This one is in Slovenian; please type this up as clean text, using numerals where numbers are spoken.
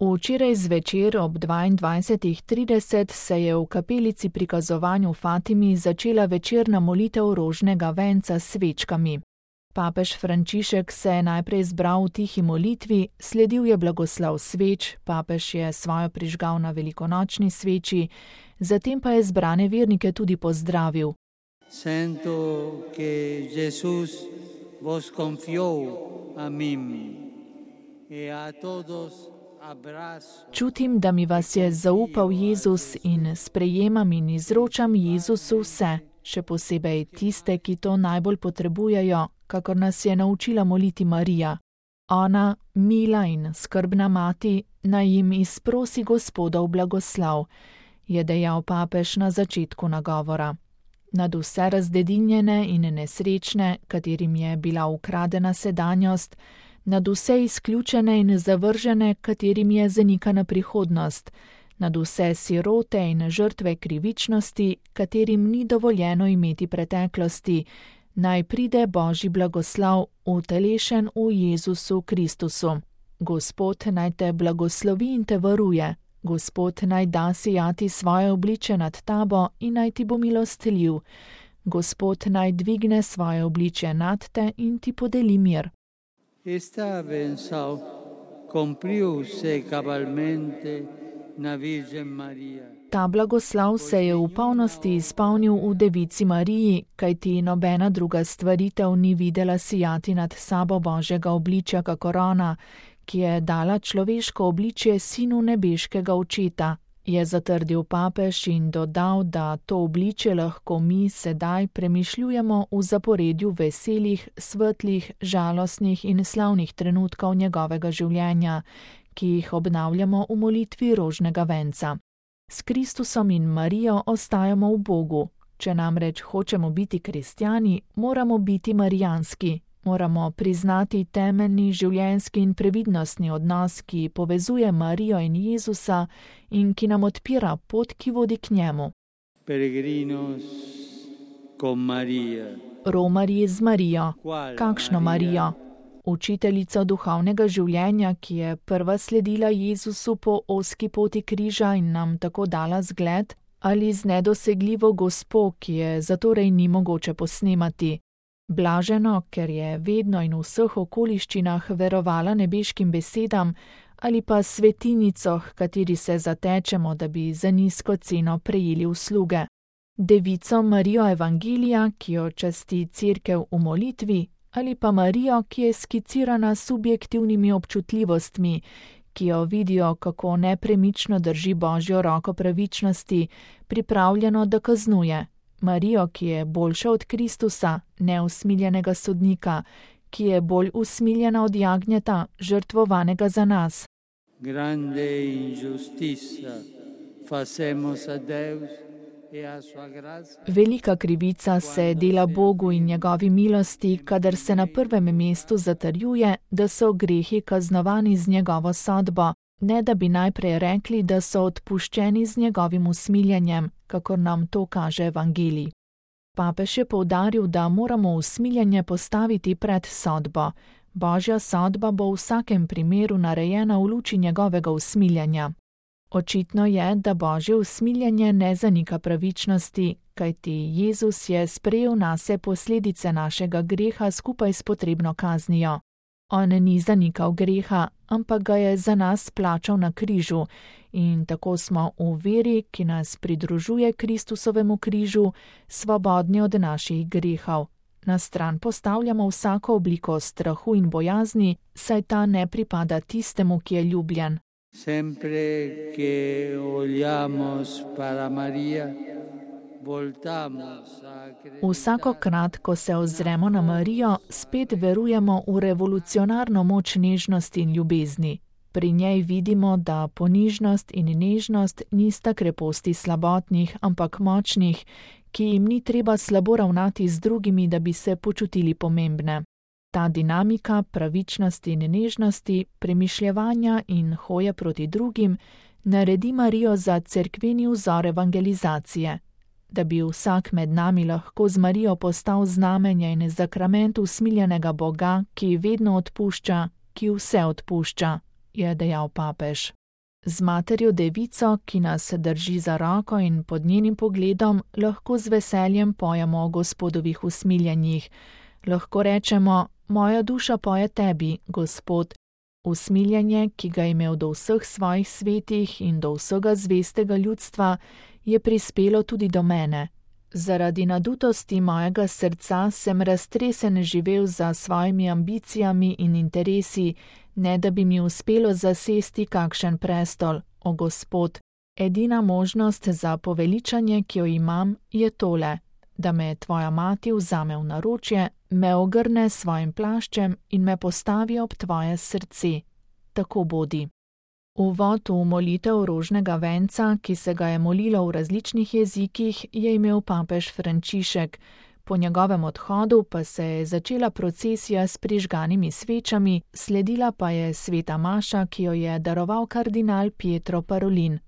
Včeraj zvečer ob 22:30 se je v kapelici prikazovanju Fatimi začela večerna molitev rožnega venca s svečkami. Papež Frančišek se je najprej zbral v tihi molitvi, sledil je blagoslov sveč, papež je svojo prižgal na velikonočni sveči, zatem pa je zbrane vernike tudi pozdravil. Sento che Jesús vos confió a mim e a todos. Čutim, da mi vas je zaupal Jezus in sprejemam in izročam Jezusu vse, še posebej tiste, ki to najbolj potrebujejo, kakor nas je naučila moliti Marija. Ona, mila in skrbna mati, naj jim izprosi Gospodov blagoslov, je dejal papež na začetku nagovora. Nad vse razdedinjene in nesrečne, katerim je bila ukradena sedanjost, nad vse izključene in zavržene, katerim je zanikana prihodnost, nad vse sirote in žrtve krivičnosti, katerim ni dovoljeno imeti preteklosti, naj pride Božji blagoslov, utelešen v Jezusu Kristusu. Gospod naj te blagoslovi in te varuje, Gospod naj da sijati svoje obliče nad tabo in naj ti bo milostljiv, Gospod naj dvigne svoje obliče nad te in ti podeli mir. Esta benção cumpriu-se cabalmente na Virgem Maria. Ta blagoslov se je v polnosti izpolnil v Devici Mariji, kajti nobena druga stvaritev ni videla sijati nad sabo Božjega obličja kakor ona, ki je dala človeško obličje sinu nebeškega očeta, je zatrdil papež in dodal, da to obličje lahko mi sedaj premišljujemo v zaporedju veselih, svetlih, žalostnih in slavnih trenutkov njegovega življenja, ki jih obnavljamo v molitvi rožnega venca. S Kristusom in Marijo ostajamo v Bogu. Če namreč hočemo biti kristjani, moramo biti marijanski. Moramo priznati temeljni življenjski in previdnostni odnos, ki povezuje Marijo in Jezusa in ki nam odpira pot, ki vodi k njemu. Peregrinos con Maria. Romarji z Marijo. Kakšno Marijo? Učiteljico duhovnega življenja, ki je prva sledila Jezusu po ozki poti križa in nam tako dala zgled, ali z nedosegljivo gospo, ki je zatorej ni mogoče posnemati. Blaženo, ker je vedno in v vseh okoliščinah verovala nebeškim besedam, ali pa svetinico, h kateri se zatečemo, da bi za nizko ceno prejeli usluge. Devico Marijo Evangelija, ki jo časti Cerkev v molitvi, ali pa Marijo, ki je skicirana s subjektivnimi občutljivostmi, ki jo vidijo, kako nepremično drži Božjo roko pravičnosti, pripravljeno, da kaznuje. Marijo, ki je boljša od Kristusa, neusmiljenega sodnika, ki je bolj usmiljena od jagnjeta, žrtvovanega za nas. Grande injusticia facemos a Deus e a sua gracia. Velika krivica se dela Bogu in njegovi milosti, kadar se na prvem mestu zatrjuje, da so grehi kaznovani z njegovo sodbo, ne da bi najprej rekli, da so odpuščeni z njegovim usmiljenjem, kakor nam to kaže Evangelij. Papež je poudaril, da moramo usmiljenje postaviti pred sodbo. Božja sodba bo v vsakem primeru narejena v luči njegovega usmiljenja. Očitno je, da Božje usmiljenje ne zanika pravičnosti, kajti Jezus je sprejel nase posledice našega greha skupaj s potrebno kaznijo. On ni zanikal greha, ampak ga je za nas plačal na križu in tako smo v veri, ki nas pridružuje Kristusovemu križu, svobodni od naših grehov. Na stran postavljamo vsako obliko strahu in bojazni, saj ta ne pripada tistemu, ki je ljubljen. Sempre che oliamos para Maria, Vsakokrat, ko se ozremo na Marijo, spet verujemo v revolucionarno moč nežnosti in ljubezni. Pri njej vidimo, da ponižnost in nežnost nista kreposti slabotnih, ampak močnih, ki jim ni treba slabo ravnati z drugimi, da bi se počutili pomembne. Ta dinamika pravičnosti in nežnosti, premišljevanja in hoje proti drugim naredi Marijo za cerkveni vzor evangelizacije. Da bi vsak med nami lahko z Marijo postal znamenje in zakrament usmiljenega Boga, ki vedno odpušča, ki vse odpušča, je dejal papež. Z materjo devico, ki nas drži za roko in pod njenim pogledom, lahko z veseljem pojemo o Gospodovih usmiljenjih. Lahko rečemo: moja duša poje tebi, Gospod. Usmiljenje, ki ga je imel do vseh svojih svetih in do vsega zvestega ljudstva, je prispelo tudi do mene. Zaradi nadutosti mojega srca sem raztresen živel za svojimi ambicijami in interesi, ne da bi mi uspelo zasesti kakšen prestol, o Gospod. Edina možnost za poveličanje, ki jo imam, je tole: da me tvoja mati vzame v naročje, me ogrne s svojim plaščem in me postavi ob tvoje srce. Tako bodi. Uvod v molitev rožnega venca, ki se ga je molilo v različnih jezikih, je imel papež Frančišek. Po njegovem odhodu pa se je začela procesija s prižganimi svečami, sledila pa je sveta maša, ki jo je daroval kardinal Pietro Parolin.